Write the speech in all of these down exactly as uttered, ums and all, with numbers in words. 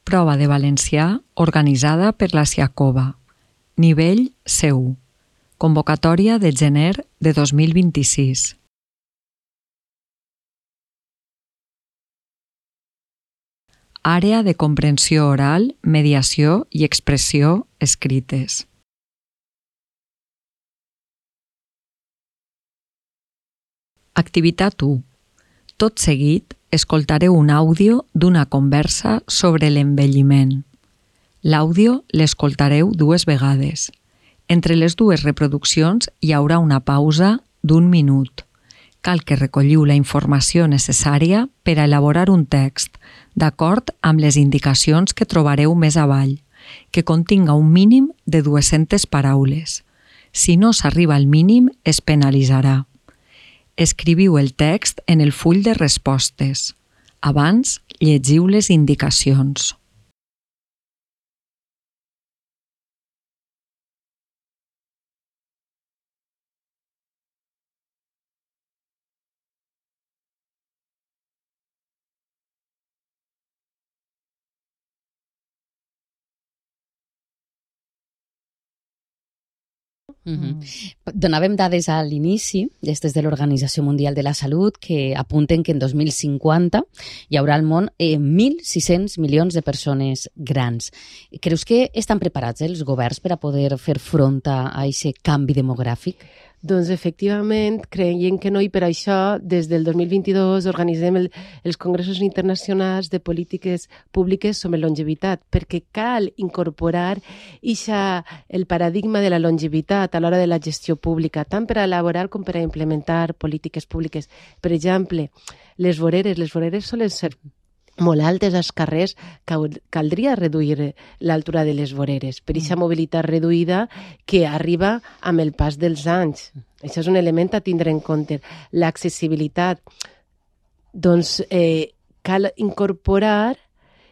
Prova de valencià organitzada per la Siacova. Nivell C u. Convocatòria de gener de dos mil vint-i-sis. Àrea de comprensió oral, mediació i expressió escrites. Activitat u. Tot seguit, escoltareu un àudio d'una conversa sobre l'envelliment. L'àudio l'escoltareu dues vegades. Entre les dues reproduccions hi haurà una pausa d'un minut. Cal que recolliu la informació necessària per a elaborar un text, d'acord amb les indicacions que trobareu més avall, que continga un mínim de dues-centes paraules. Si no s'arriba al mínim, es penalitzarà. Escriviu el text en el full de respostes. Abans, llegiu les indicacions. Mm-hmm. Donàvem dades a l'inici, des de l'Organització Mundial de la Salut, que apunten que en dos mil cinquanta hi haurà al món eh, mil sis-cents milions de persones grans. Creus que estan preparats eh, els governs per a poder fer front a aquest canvi demogràfic? Doncs efectivament, creiem que no, i per això des del dos mil vint-i-dos organitzem el, els congressos internacionals de polítiques públiques sobre longevitat, perquè cal incorporar ixa, el paradigma de la longevitat a l'hora de la gestió pública, tant per a elaborar com per a implementar polítiques públiques. Per exemple, les voreres, les voreres solen ser molt altes als carrers, caldria reduir l'altura de les voreres per aquesta mobilitat reduïda que arriba amb el pas dels anys. Això és un element a tindre en compte. L'accessibilitat. Doncs eh, cal incorporar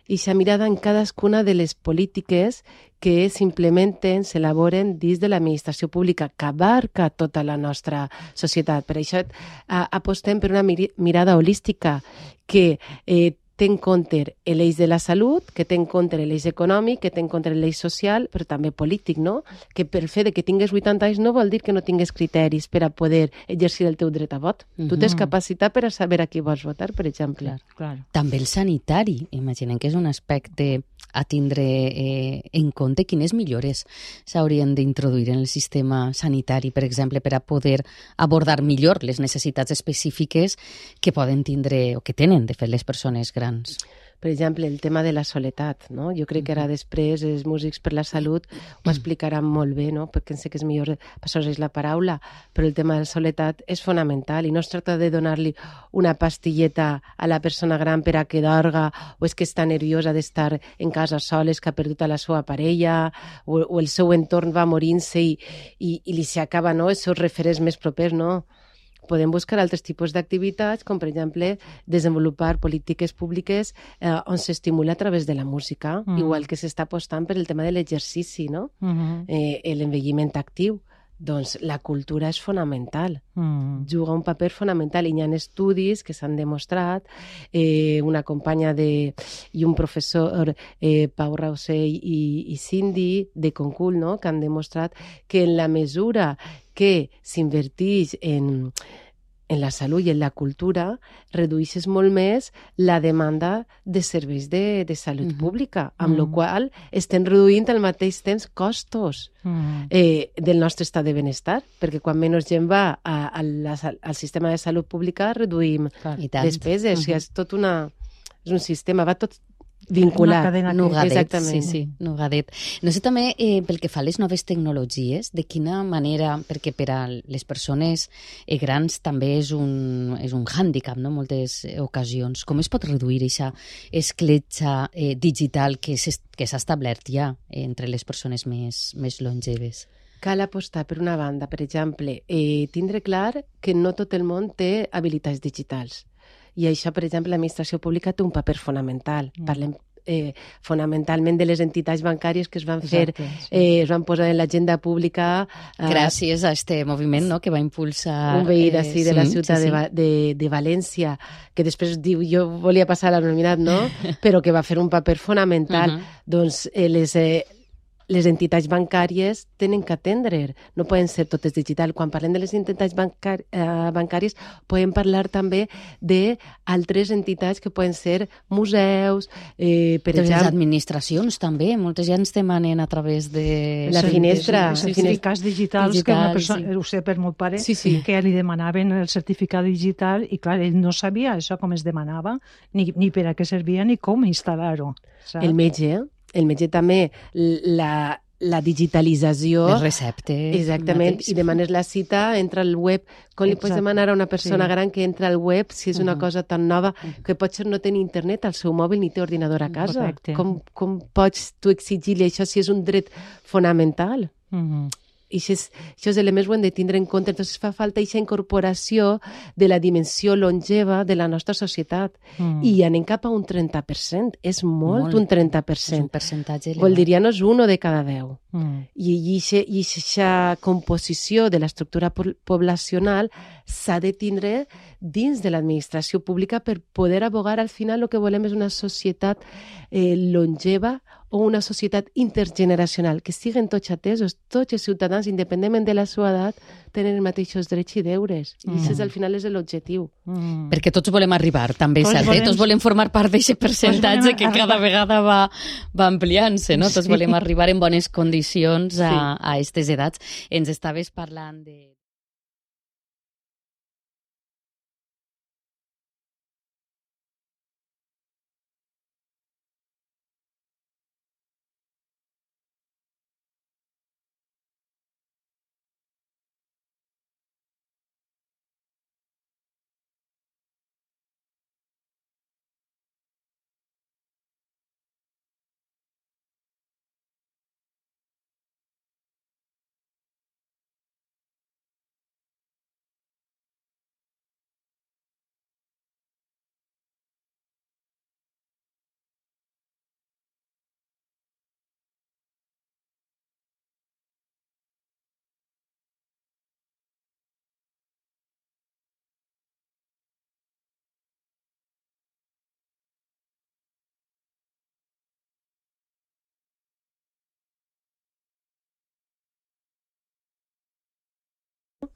aquesta mirada en cadascuna de les polítiques que s'implementen, s'elaboren dins de l'administració pública, que abarca tota la nostra societat. Per això eh, apostem per una mirada holística que eh, té en compte l'eix de la salut, que té en compte l'eix econòmic, que té en compte l'eix social, però també polític, no? Que pel fet de que tingues vuitanta anys no vol dir que no tingues criteris per a poder exercir el teu dret a vot. Uh-huh. Tu tens capacitat per a saber a qui vols votar, per exemple. Clar, clar. També el sanitari, imaginem que és un aspecte a tindre eh, en compte. Quines millores s'haurien d'introduir en el sistema sanitari, per exemple, per a poder abordar millor les necessitats específiques que poden tindre o que tenen, de fet, les persones grans? Per exemple, el tema de la soledat, no? Jo crec que ara després els músics per la salut ho explicaran molt bé, no? Perquè sé que és millor passar-los la paraula, però el tema de la soledat és fonamental i no es tracta de donar-li una pastilleta a la persona gran per a que dorga o és que està nerviosa d'estar en casa soles, que ha perdut a la seva parella o, o el seu entorn va morint-se i, i, i li s'acaba, no?, els seus referents més propers, no? Podem buscar altres tipus d'activitats, com per exemple desenvolupar polítiques públiques eh, on s'estimula a través de la música, mm. igual que s'està apostant per el tema de l'exercici, no? Mm-hmm. eh, l'envelliment actiu. Doncs la cultura és fonamental, mm. juga un paper fonamental i hi ha estudis que s'han demostrat, eh, una companya de, i un professor, eh, Pau Rausell i, i Cindy de Concul, no?, que han demostrat que en la mesura que s'inverteix en, en la salut i en la cultura, redueixes molt més la demanda de serveis de, de salut mm-hmm. pública, amb mm. la qual estem reduint al mateix temps costos mm. eh, del nostre estat de benestar, perquè quan menys gent va a, a la, al sistema de salut pública reduïm despeses. Mm-hmm. O sigui, és tot una... És un sistema, va tot vinculat. Una cadena nugadet, exactament. Sí, sí, nugadet. No sé també, eh, pel que fa a les noves tecnologies, de quina manera, perquè per a les persones eh, grans també és un, és un hàndicap, no?, moltes ocasions. Com es pot reduir aquesta escletxa eh, digital que s'ha establert ja eh, entre les persones més, més longeves? Cal apostar, per una banda, per exemple, eh, tindre clar que no tot el món té habilitats digitals. I això, per exemple, l'administració pública té un paper fonamental. Mm. Parlem eh, fonamentalment de les entitats bancàries que es van fer, Exacte, sí. eh, es van posar en l'agenda pública. Eh, Gràcies a este moviment, no?, que va impulsar... Un veí d'ací de sí, la ciutat sí, sí. de, Va- de, de València, que després diu jo volia passar a l'anonimat, no? Però que va fer un paper fonamental. Uh-huh. Doncs eh, les... Eh, les entitats bancàries tenen que atendre, no poden ser totes digital. Quan parlem de les entitats bancar eh, bancàries, podem parlar també d'altres entitats que poden ser museus, eh, per De les exemple... administracions també, moltes ja ens demanen a través de... La finestra. Els certificats digitals, Digital, que una persona, sí. ho sé per meu pare, Sí, sí. que li demanaven el certificat digital i, clar, ell no sabia això com es demanava, ni, ni per a què servia, ni com instal·lar-ho. saps? El metge, el metge també, la, la digitalització... Les receptes... Exactament, mateix. i demanes la cita, entra al web. Com li pots Exacte. demanar a una persona Sí. gran que entra al web si és una Mhm. cosa tan nova que potser no té ni internet al seu mòbil ni té ordinador a casa? Correcte. Com, com pots tu exigir-li això si és un dret fonamental? Mhm. I aquests, aquests elements ho hem de tindre en compte. Entonces fa falta aquesta incorporació de la dimensió longeva de la nostra societat. Mm. I anem cap a un trenta per cent. És molt, Molt. un trenta per És un cent. percentatge elevat. Vol dir, ja no és un de cada deu. Mm. I aquesta composició de l'estructura po- poblacional s'ha de tindre dins de l'administració pública per poder abogar al final el que volem és una societat eh, longeva o una societat intergeneracional, que estiguen tots atesos, tots els ciutadans, independentment de la seva edat, tenen els mateixos drets i deures. I Mm. això al final és l'objectiu. Mm. Perquè tots volem arribar, també és Tots cert. volem- Eh? Tots volem formar part d'aquest percentatge volem que cada arribar. vegada va, va ampliant-se, no? Tots Sí. volem arribar en bones condicions a, Sí. a aquestes edats. Ens estaves parlant de...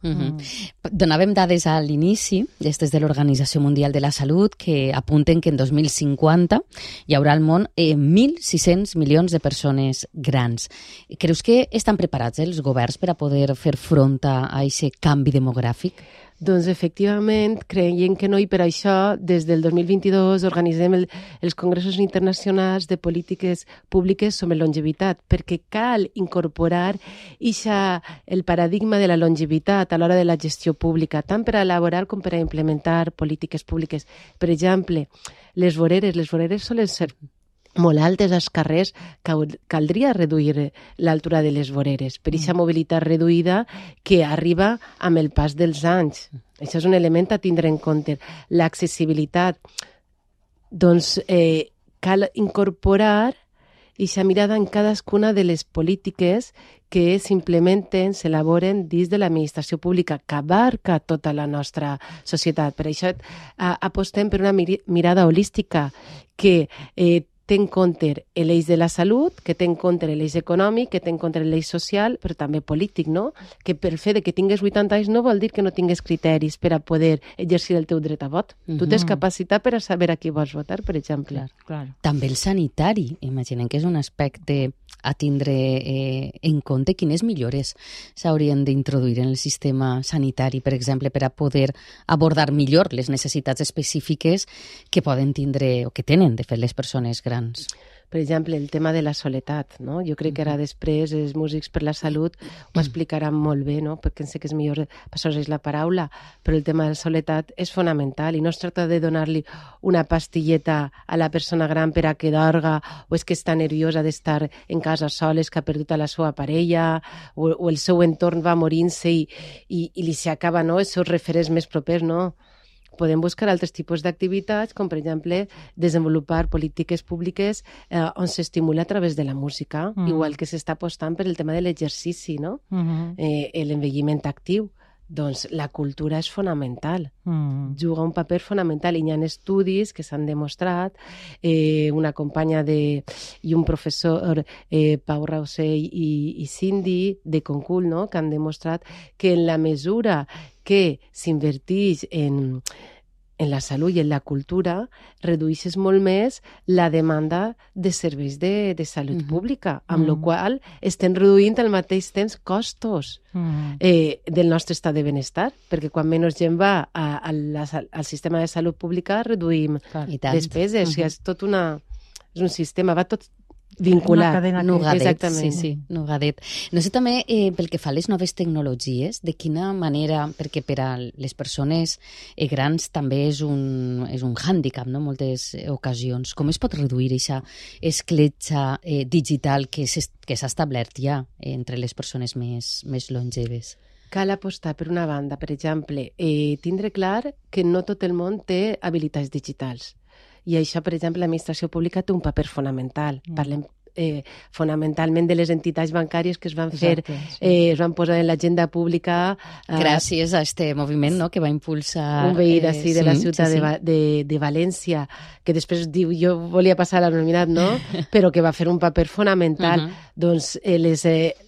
Uh -huh. Donàvem dades a l'inici, des de l'Organització Mundial de la Salut, que apunten que en dos mil cinquanta hi haurà al món eh, mil sis-cents milions de persones grans. Creus que estan preparats eh, els governs per a poder fer front a aquest canvi demogràfic? Doncs efectivament, creiem que no, i per això des del dos mil vint-i-dos organitzem el, els congressos internacionals de polítiques públiques sobre longevitat, perquè cal incorporar ixa, el paradigma de la longevitat a l'hora de la gestió pública, tant per a elaborar com per a implementar polítiques públiques. Per exemple, les voreres, les voreres solen ser molt altes als carrers, caldria reduir l'altura de les voreres per aquesta mobilitat reduïda que arriba amb el pas dels anys. Això és un element a tindre en compte. L'accessibilitat, doncs eh, cal incorporar aquesta mirada en cadascuna de les polítiques que s'implementen, s'elaboren dins de l'administració pública, que abarca tota la nostra societat. Per això a, apostem per una mir mirada holística que eh, té en compte l'eix de la salut, que té en compte l'eix econòmic, que té en compte l'eix social, però també polític, no? Que per fer de que tingues vuitanta anys no vol dir que no tingues criteris per a poder exercir el teu dret a vot. Uh -huh. Tu tens capacitat per a saber a qui vols votar, per exemple. Clar, Claro. També el sanitari, imaginem que és un aspecte a tindre eh, en compte. Quines millores s'haurien d'introduir en el sistema sanitari, per exemple, per a poder abordar millor les necessitats específiques que poden tindre o que tenen, de fet, les persones grans? Per exemple, el tema de la soledat, no? Jo crec que ara després els músics per la salut ho explicaran molt bé, no? Perquè sé que és millor passar-los la paraula, però el tema de la soledat és fonamental i no es tracta de donar-li una pastilleta a la persona gran per a que dorga o és que està nerviosa d'estar en casa sola, és que ha perdut a la seva parella o, o el seu entorn va morint-se i, i, i li s'acaba, no?, els seus referents més propers, no? podem buscar altres tipus d'activitats, com per exemple desenvolupar polítiques públiques eh, on s'estimula a través de la música, mm. igual que s'està apostant per el tema de l'exercici, no? Mm-hmm. eh, l'envelliment actiu. Doncs la cultura és fonamental, mm. juga un paper fonamental i hi ha estudis que s'han demostrat, eh, una companya de, i un professor, eh, Pau Rausell i, i Cindy de Concul, no? Que han demostrat que en la mesura que s'inverteix en, en la salut i en la cultura, redueixes molt més la demanda de serveis de, de salut mm-hmm. pública, amb mm-hmm. la qual estem reduint al mateix temps costos mm-hmm. eh, del nostre estat de benestar, perquè quan menys gent va a, a la, al sistema de salut pública reduïm despeses. Mm-hmm. O sigui, és tot una... És un sistema, va tot vinculat. Una cadena Nugadet, exactament. sí, sí, Nugadet. No sé també, eh, pel que fa a les noves tecnologies, de quina manera, perquè per a les persones eh, grans també és un, és un hàndicap, no?, moltes ocasions. Com es pot reduir aquesta escletxa eh, digital que s'ha establert ja eh, entre les persones més, més longeves? Cal apostar, per una banda, per exemple, eh, tindre clar que no tot el món té habilitats digitals. I això, per exemple, l'administració pública té un paper fonamental. Mm. Parlem eh, fonamentalment de les entitats bancàries que es van fer, Exacte, sí. eh, es van posar en l'agenda pública... Eh, Gràcies a este moviment, no?, que va impulsar... Un veí d'ací, eh, de sí, la ciutat sí, sí. De, de, de València, que després diu, jo volia passar a l'anonimat, no?, però que va fer un paper fonamental. Uh-huh. Doncs eh, les... Eh,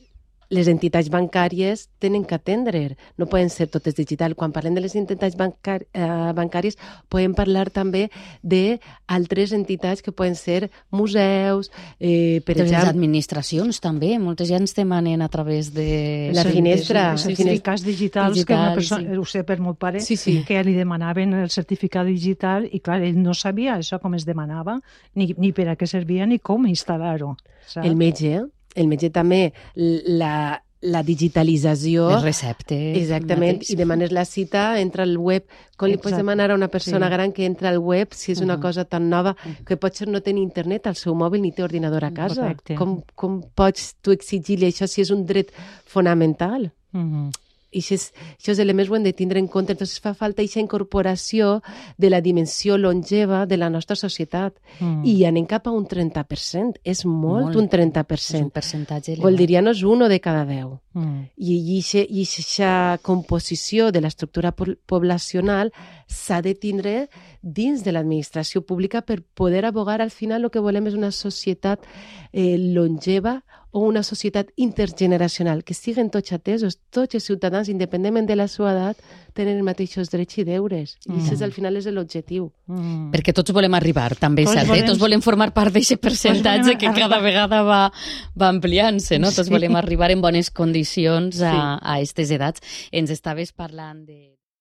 les entitats bancàries tenen que atendre, no poden ser totes digital. Quan parlem de les entitats bancar eh, bancàries, podem parlar també d'altres entitats que poden ser museus, eh, per de exemple... les administracions també, moltes ja ens demanen a través de... La finestra. Els certificats digitals, digital, que una persona, sí. Ho sé per meu pare, sí, sí. que li demanaven el certificat digital i clar, ell no sabia això com es demanava, ni, ni per a què servia, ni com instal·lar-ho. El metge, eh? El metge també, la, la digitalització... Les receptes... Exactament, mateix. I demanes la cita, entra al web. Com li pots demanar a una persona sí. gran que entra al web si és una uh-huh. cosa tan nova que potser no té ni internet al seu mòbil ni té ordinador a casa? Com, com pots tu exigir-li això si és un dret fonamental? Uh-huh. I aquests, aquests elements ho hem de tindre en compte. Entonces fa falta aquesta incorporació de la dimensió longeva de la nostra societat. Mm. I anem cap a un trenta per cent. És molt, molt. un trenta per cent. És un percentatge elevat. Vol dir, ja no és uno de cada deu. Mm. I aquesta composició de l'estructura poblacional s'ha de tindre dins de l'administració pública per poder abogar. Al final el que volem és una societat eh, longeva o una societat intergeneracional, que siguin tots atesos, tots els ciutadans, independentment de la seva edat, tenen els mateixos drets i deures. Mm. I això al final és l'objectiu. Mm. Perquè tots volem arribar, també, tots cert? Volem... Tots volem formar part d'aquest percentatge que cada vegada va, va ampliant-se, no? Tots sí. volem arribar en bones condicions a, sí. a aquestes edats. Ens estaves parlant de...